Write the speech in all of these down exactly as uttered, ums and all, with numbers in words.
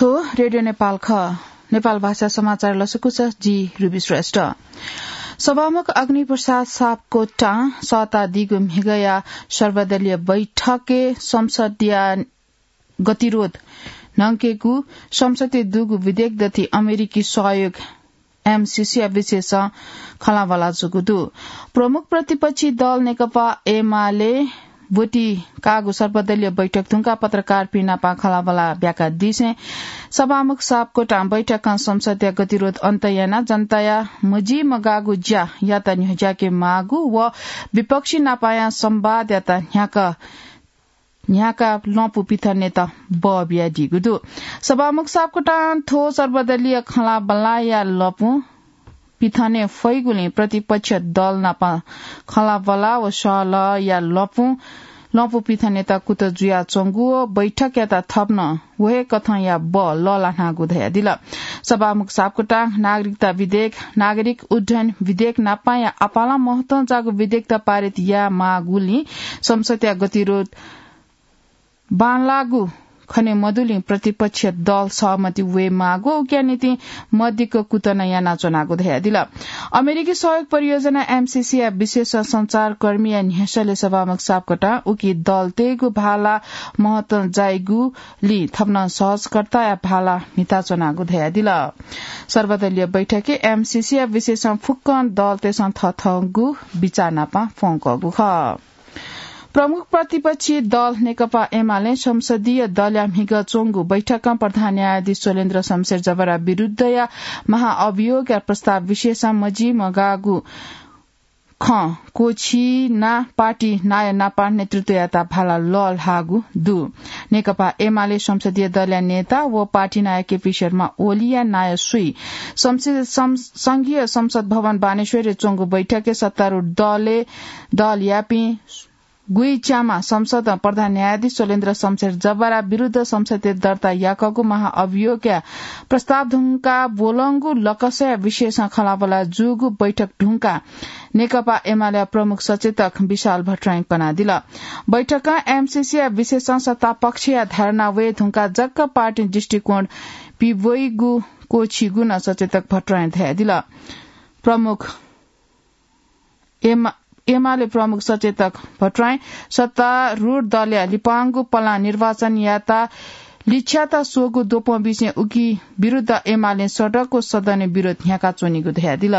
थ्व रेडियो नेपाल खः। नेपाल भाषा समाचार लसकुस, जि रुबी श्रेष्ठ। सभामुख अग्निप्रसाद सापकोटां सःतादीगु म्हिगया सर्वदलीय बैठकय् संसदया गतिरोध न्हंकेगु संसदय् दुगु विधेयक दथि अमेरिकी सहयोग एमसीसी या विशेषं खँल्हाबल्हा जूगु दु। प्रमुख प्रतिपक्षी दल नेकपा एमाले ब्वति काःगु सर्वदलीय बैठक धुंकाः पत्रकारपिं नाप खँल्हाबल्हा ब्याकादिसें सभामुख सापकोटां बैठकं संसदया गतिरोध अन्त यानाः जनताया मजिमगाःगु ज्यायात न्ह्यज्याके माःगु व विपक्षी नापया संवादयात न्ह्याक न्ह्याकाः लँपु पिथनेत बः बियादीगु दु। सभामुख सापकोटां थ्व सर्वदलीय खँल्हाबल्हाया लँपु पिथने फइगुलिं प्रतिपक्ष दल नाप खँल्हाबल्हा व सहलहया लँपु, लँपु पिथनेत कुतः जुयाच्वंगु व बैठकयात थप नं व हे कथंया बः लःल्हानागु धयादिल। सभामुख सापकोटां नागरिकता विधेयक, नागरिक उड्डयन विधेयक नापया आपालं महत्वं जाःगु विधेयकत पारित यायेमाःगुलिं संसदया गतिरोध बांलाःगु खने मदुलिं प्रतिपक्ष दल सहमति वयेमाःगु उकिया निंतिं मदिक्क कुतः नं यानाच्वनागु धयादिल। अमेरिकी सहयोग परियोजना एमसीसी या विशेष संचारकर्मीया न्ह्यसःले सभामुख सापकोटां उकी दलतय्गु भाला महत्वं जाइगुलिं थप नं सहजकर्ताया भाला म्हिताच्वनागु धयादिल। सर्वदलीय बैठकय् एमसीसी या विशेषं फुक्कं दलतय्सं थथःगु बिचाः नाप प्वंकःगु खः। प्रमुख प्रतिपक्षी दल नेकपा एमालें संसदीय दलया म्हिगः च्वंगु बैठकं प्रधान न्यायाधीश चोलेन्द्र शमशेर जबरा विरुद्धया महाअभियोगया प्रस्ताव विषयसं मजिमगाःगु खँ क्वःछिनाः पार्टी नायः नापं नेतृत्वयात भाला लःल्हाःगु दु। नेकपा एमाले संसदीय दलया नेता व पार्टी नायः केपी शर्मा ओलीया नायः स्वइ संसद, सं-, संघीय संसद भवन बानेश्वरय् च्वंगु बैठकय् सत्तारूढ दलय्, दलयापिं गुइच्यामा संसदं प्रधान न्यायाधीश चोलेन्द्र शमशेर जबरा विरुद्ध संसदय् दर्ता याकःगु महाअभियोगया प्रस्ताव धुंकाः ब्वलंगु लकसया विषयसं खँल्हाबल्हा जूगु बैठक धुंकाः नेकपा एमालेया प्रमुख सचेतक विशाल भट्टराईं कनादिल। बैठकं एमसीसीया विषयसं सत्तापक्षया धारणा वये धुंकाः जक पार्टी दृष्टिकोण पिब्वइगु क्वःछिगु नं सचेतक भट्टराईं धयादिल। प्रमुख एमा-, एमाले प्रमुख सचेतक भट्टराईं सत्तारूढ दलया लिपांगु पलां निर्वाचनयात लिछ्यात स्वःगु द्वपंबिसें उकी विरुद्ध एमालें सडक व सदनय् विरोध न्ह्याकाच्वनीगु धयादिल।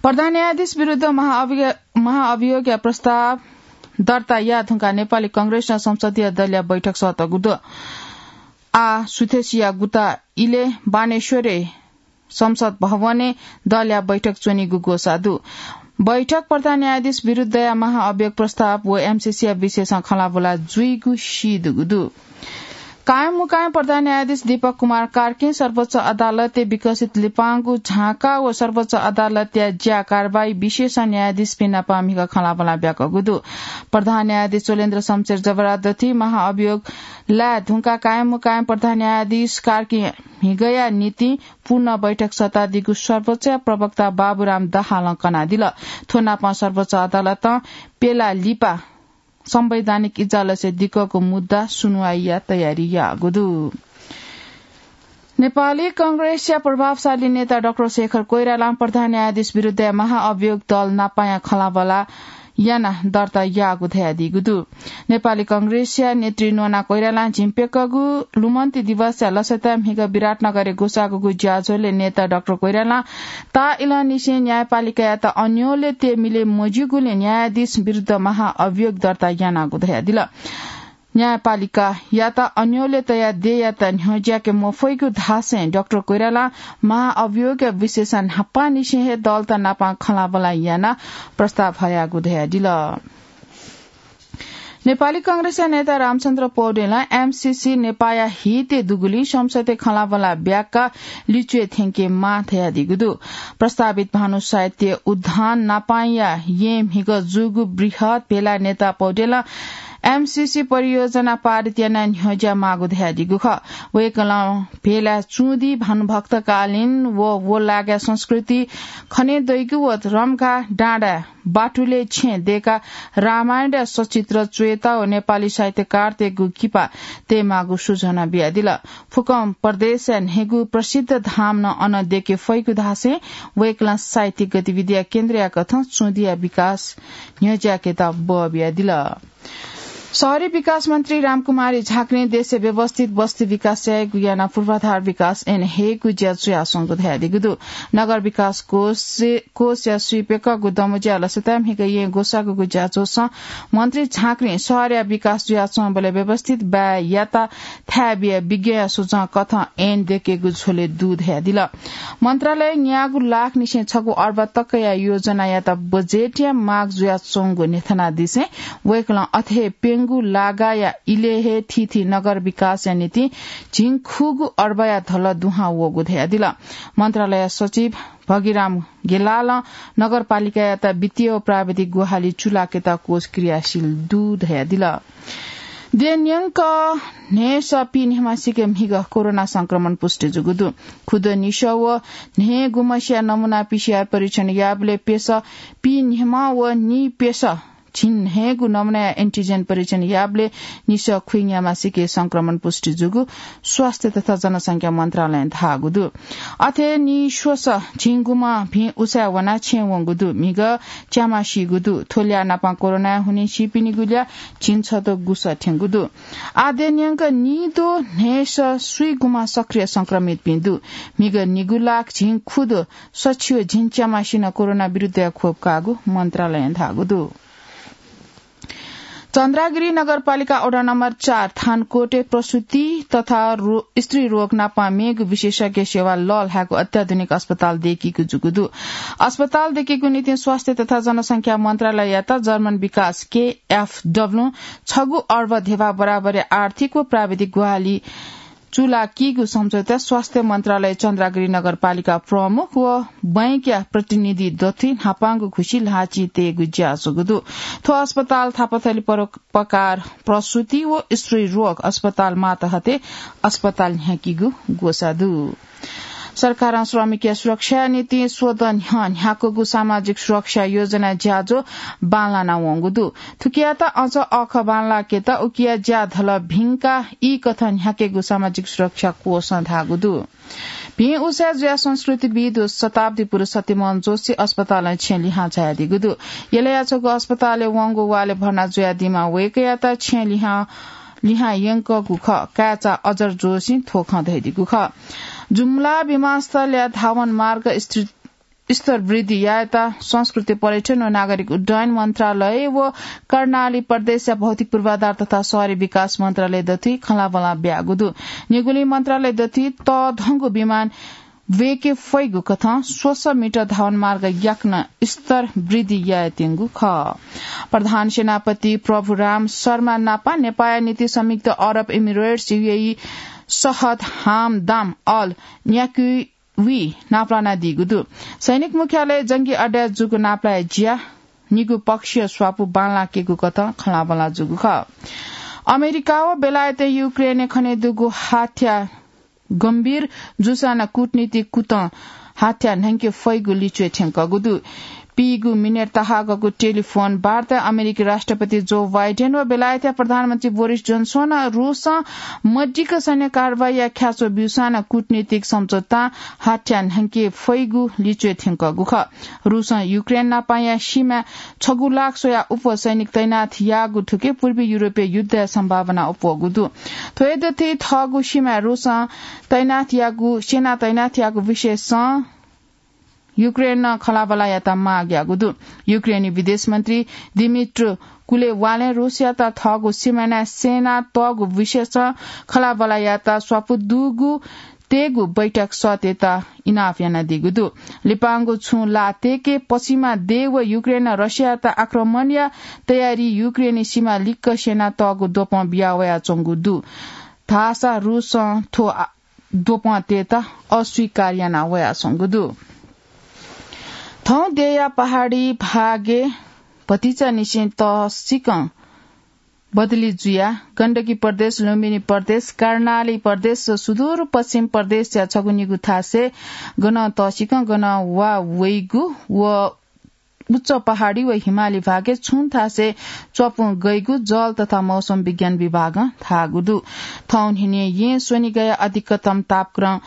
प्रधान न्यायाधीश विरुद्ध महाअभियो-, महाअभियोगया प्रस्ताव दर्ता याये धुंकाः नेपाली कांग्रेसं संसदीय दलया बैठक सःतःगु दु। आः सुथसिया गुता इलय् बानेश्वरय् संसद भवनय् दलया बैठक च्वनीगु ग्वसाः दु। बैठक प्रधान न्यायाधीश विरुद्धया महाअभियोग प्रस्ताव व एमसीसीया विषयसं खँल्हाबल्हा जुइगु सीदुगु दु। कायम मुकायम प्रधान न्यायाधीश दीपक कुमार कार्कीं सर्वोच्च अदालतय् विकसित लिपांगु झांका व सर्वोच्च अदालतया ज्या कारवाही विषयसं न्यायाधीशपिं नाप म्हिगः खँल्हाबल्हा ब्याकःगु दु। प्रधान न्यायाधीश चोलेन्द्र शमशेर जबरा दथुइ महाअभियोग लाये धुंकाः कायम मुकायम प्रधान न्यायाधीश कार्कीं म्हिगःया निंतिं पूर्ण बैठक सःतादीगु सर्वोच्चया प्रवक्ता बाबुराम दाहालं कनादिल। थ्व नापं सर्वोच्च अदालतं प्यला लिपा संवैधानिक इजलासय् दिक्कको मुद्दा सुनुवाइया तयारी याःगु दु। नेपाली कांग्रेसया प्रभावशाली नेता डाक्टर शेखर कोइरालां प्रधान न्यायाधीश विरुद्धया महाअभियोग दल नापाया खँल्हाबल्हा यानाः दर्ता याःगु धयादीगु दु। नेपाली कांग्रेसया नेतृ नोना कोइरालां झिंप्यकःगु लुमन्ति दिवसया लसताय् म्हिगः विराटनगरय् ग्वसाःगु ज्याझ्वलय् नेता डाक्टर कोइरालां ताःइलंनिसें न्यायपालिकायात अन्योलय् तये मिले मज्यूगुलिं न्यायाधीश विरुद्ध महाअभियोग दर्ता यानागु धयादिल। न्यायपालिकायात अन्योलय् तयाः देय्‌यात न्ह्यज्याके मफइगु धासें डाक्टर कोइरालां महाअभियोगया विषयसं न्हापांनिसें हे दलत नाप खँल्हाबल्हा यानाः प्रस्ताव हयागु धयादिल। नेपाली कांग्रेसया नेता रामचन्द्र पौडेलं एमसीसी नेपाःया हितय् दुगुलिं संसदय् खँल्हाबल्हा ब्याकाः लिच्वय् थ्यंकेमाः धयादीगु दु। प्रस्तावित भानु साहित्य उद्यान नापांया येँ म्हिगः जूगु बृहत् भेलाय् नेता पौडेलं एमसीसी परियोजना पारित यानाः न्ह्यज्या माःगु धयादीगु खः। वय्कलं भेलाय् चुँदी, भानुभक्तकालीन व व लागाय् संस्कृति खने दइगु व रम्घा डाँडाय् बाटुलय् छेँ दय्काः रामायणया सचित्र च्वयेत व नेपाली साहित्यकारतय्गु किपा तयेमाःगु सुझना बियादिल। फुक्कं प्रदेशया न्हय्गू प्रसिद्ध धाम नं अन दय्के फइगु धासें वय्कलं साहित्यिक गतिविधिया केन्द्रया कथं चुँदिया विकास न्ह्यज्याकेत बः बियादिल। शहरी विकास मन्त्री रामकुमारी झाँक्रीं देशय् व्यवस्थित बस्ती विकास यायेगु यानाः पूर्वाधार विकास याना हयेगु ज्या जुयाच्वंगु धयादीगु दु। नगर विकास कोष, कोषया स्वीप्यकःगु दमज्या लसताय् म्हिगः येँ ग्वसाःगुगु ज्याझ्वलय् मन्त्री झाँक्रीं शहरया विकास जुयाच्वंबलय् व्यवस्थित बाय् यात थाय् बियाः विज्ञया सुझाव कथं ऐन दय्केगु झ्वलय् दु धयादिल। मन्त्रालयं न्यागू लाखनिसें छगू अर्ब तकया योजनायात बजेटया माग जुयाच्वंगु न्ह्यथनादिसें वय्कलं अथे हे प्यंगू लागाया इलय् हे थीथी नगर विकासया निंतिं झिंखुगू अर्बया धलः दुहां वःगु धयादिल। मन्त्रालय सचिव भगिराम गेलालं नगरपालिकायात वित्तीय व प्राविधिक ग्वाहालि चूलाकेत कोष क्रियाशील दु धयादिल। देय् न्यंक न्हय्स पीन्हय्मासिके म्हिगः कोरोना संक्रमण पुष्टि जूगु दु। खुदँ निसः व न्हय्गुम्हसिया नमूना पीसीआर परीक्षण याःबलय् प्यसः पीन्हय्म्ह व नीप्यसः झिंन्हय्गु नमूनाया एन्टिजेन परीक्षण याःबलय् निसः खुइन्हय्मासिके संक्रमण पुष्टि जूगु स्वास्थ्य तथा जनसंख्या मन्त्रालयं धाःगु दु। अथे नीस्वसः झिंगुम्ह भिं उसाँय् वनाः छेँय् वंगु दु। म्हिगः च्यामा सीगु दु। थ्व ल्याः नापं कोरोनाय् हुनिं सीपिनिगु ल्याः झिंछदँ गुसः थ्यंगु दु। आः देय् न्यंक निद्वः न्हय्स स्वीगुम्ह सक्रिय संक्रमितपिं दु। म्हिगः निगू लाख झिंखुद्वः सछि व झिंच्यामासिनं कोरोना विरुद्धया खोप काःगु मन्त्रालयं धाःगु दु। चन्द्रागिरी नगरपालिका वडा नम्बर चार थानकोटय् प्रसूति तथा रो-, स्त्री रोग नापं मेगु विशेषज्ञ सेवा लःल्हायेगु अत्याधुनिक अस्पताल दय्कीगु जूगु दु। अस्पताल दय्कीगु निंतिं स्वास्थ्य तथा जनसंख्या मन्त्रालययात जर्मन विकास केएफडब्ल्यूं छगू अर्ब धेबा बराबरया आर्थिक व प्राविधिक ग्वाहालि चूलाकीगु सम्झौता स्वास्थ्य मन्त्रालय चन्द्रागिरी नगरपालिका प्रमुख व बैंकया प्रतिनिधि दथुइ न्हापांगु घुसी ल्हाःचिं तयेगु ज्या जूगु दु। थ्व अस्पताल थापाथली परोपकार प्रसूति व स्त्री रोग अस्पताल मातहतय् अस्पताल न्ह्याकीगु ग्वसाः दु। सरकारं श्रमिकया सुरक्षाया निंतिं स्वदँ न्ह्यः न्ह्याकूगु सामाजिक सुरक्षा योजना ज्याझ्वः बांलाना वंगु दु। थुकियात अझ अःखः बांलाकेत उकिया ज्या धलः भिंकाः ई कथं न्ह्याकेगु सामाजिक सुरक्षा कोषं धाःगु दु। भिं उसाँय् जुयाः संस्कृतिविद् व शताब्दी पुरुष सत्यमोहन जोशी अस्पतालं छेँ लिहां झायादीगु दु। यलया छगू अस्पतालय् वंगु वालय् भर्ना जुयादीम्ह वय्कःयात छेँ लिहां, लिहां यंकूगु खः। काय्चा अजर जोशीं थ्व खँ धयादीगु खः। जुम्ला विमानस्थलया धावन मार्ग स्थित स्तर वृद्धि यायेत संस्कृति पर्यटन व नागरिक उड्डयन मन्त्रालय व कर्णाली प्रदेशया भौतिक पूर्वाधार तथा शहरी विकास मन्त्रालय दथुइ खँल्हाबल्हा ब्याःगु दु। निगुलिं मन्त्रालय दथुइ तःधंगु विमान ब्वय्के फइगु कथं स्वसः मिटर धावन मार्ग याकनं स्तर वृद्धि यायेत्यंगु खः। प्रधान सेनापति प्रभुराम शर्मा नापं नेपाःया निंतिं संयुक्त अरब इमिरेट्स, यूएई, सहद हामदाम अल न्याक्वी नापलानादीगु दु। सैनिक मुख्यालय जंगी अड्डाय् जूगु नापलाये ज्या निगू पक्षीय स्वापू बांलाकेगु कथं खँल्हाबल्हा जूगु खः। अमेरिका व बेलायतं युक्रेनय् खनेदुगु हाथ्या गम्भीर जूसां नं कूटनीतिक कुतं हाथ्या न्हंके फइगु लिच्वय् थ्यंकःगु दु। पीगू मिनेट तहाकःगु टेलिफोन वार्ताय् अमेरिकी राष्ट्रपति जो बाइडेन व बेलायतया प्रधानमन्त्री बोरिस जोन्सनं रूसं मदिक्क सैन्य कारवाहीया ख्याच्वः ब्यूसां नं कूटनीतिक सम्झौतां हाथ्या न्हंके फइगु लिच्वय् थ्यंकःगु खः। रूसं युक्रेन नापंया सीमाय् छगू लाख स्वयाः अप्वः सैनिक तैनाथ याःगु थुकी पूर्वी युरोपय् युद्धया सम्भावना अप्वःगु दु। थ्व हे दथुइ थःगु सीमाय् रूसं तैनाथ याःगु, सेना तैनाथ याःगु विषयसं युक्रेनं खँल्हाबल्हा यायेत माग याःगु दु। युक्रेनी विदेश मन्त्री दिमित्र कुलेबालं रूसयात थःगु सीमानाय् सेना तःगु विषयसं खँल्हाबल्हा यायेत स्वापू दुगु तयेगु बैठक सःतेत इनाप यानादीगु दु। लिपांगु छुं ला तय्के पछिमा देय् व युक्रेनं रसियायात आक्रमणया तयारी युक्रेनी सीमा लिक्क सेना तःगु द्वपं बिया वयाच्वंगु दु। धाःसा रूसं थ्व आ-, द्वपं तयेत अस्वीकार याना वयाच्वंगु दु। थौं देय्‌या पहाडी भागय् भतिचानिसें तःसिकं बदली जुया गण्डकी प्रदेश, लुम्बिनी प्रदेश, कर्णाली प्रदेश, सुदूर पश्चिम प्रदेशया छगू निगू थासय् गनं तःसिकं गनं वा वइगु व उच्च पहाडी व हिमाली भागय् छुं थासय् च्वपुं गइगु जल तथा मौसम विज्ञान विभागं धाःगु दु। थौं न्हिनय् येँ स्वनिगया अधिकतम तापक्रम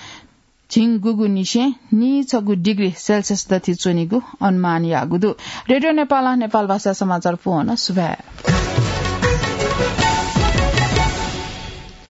झिंगुगु निसें नीछगू डिग्री सेल्सियस दथि च्वनीगु अनुमान याःगु दु। रेडियो नेपालं नेपाल भाषा समाचार पूवं सुभाय्।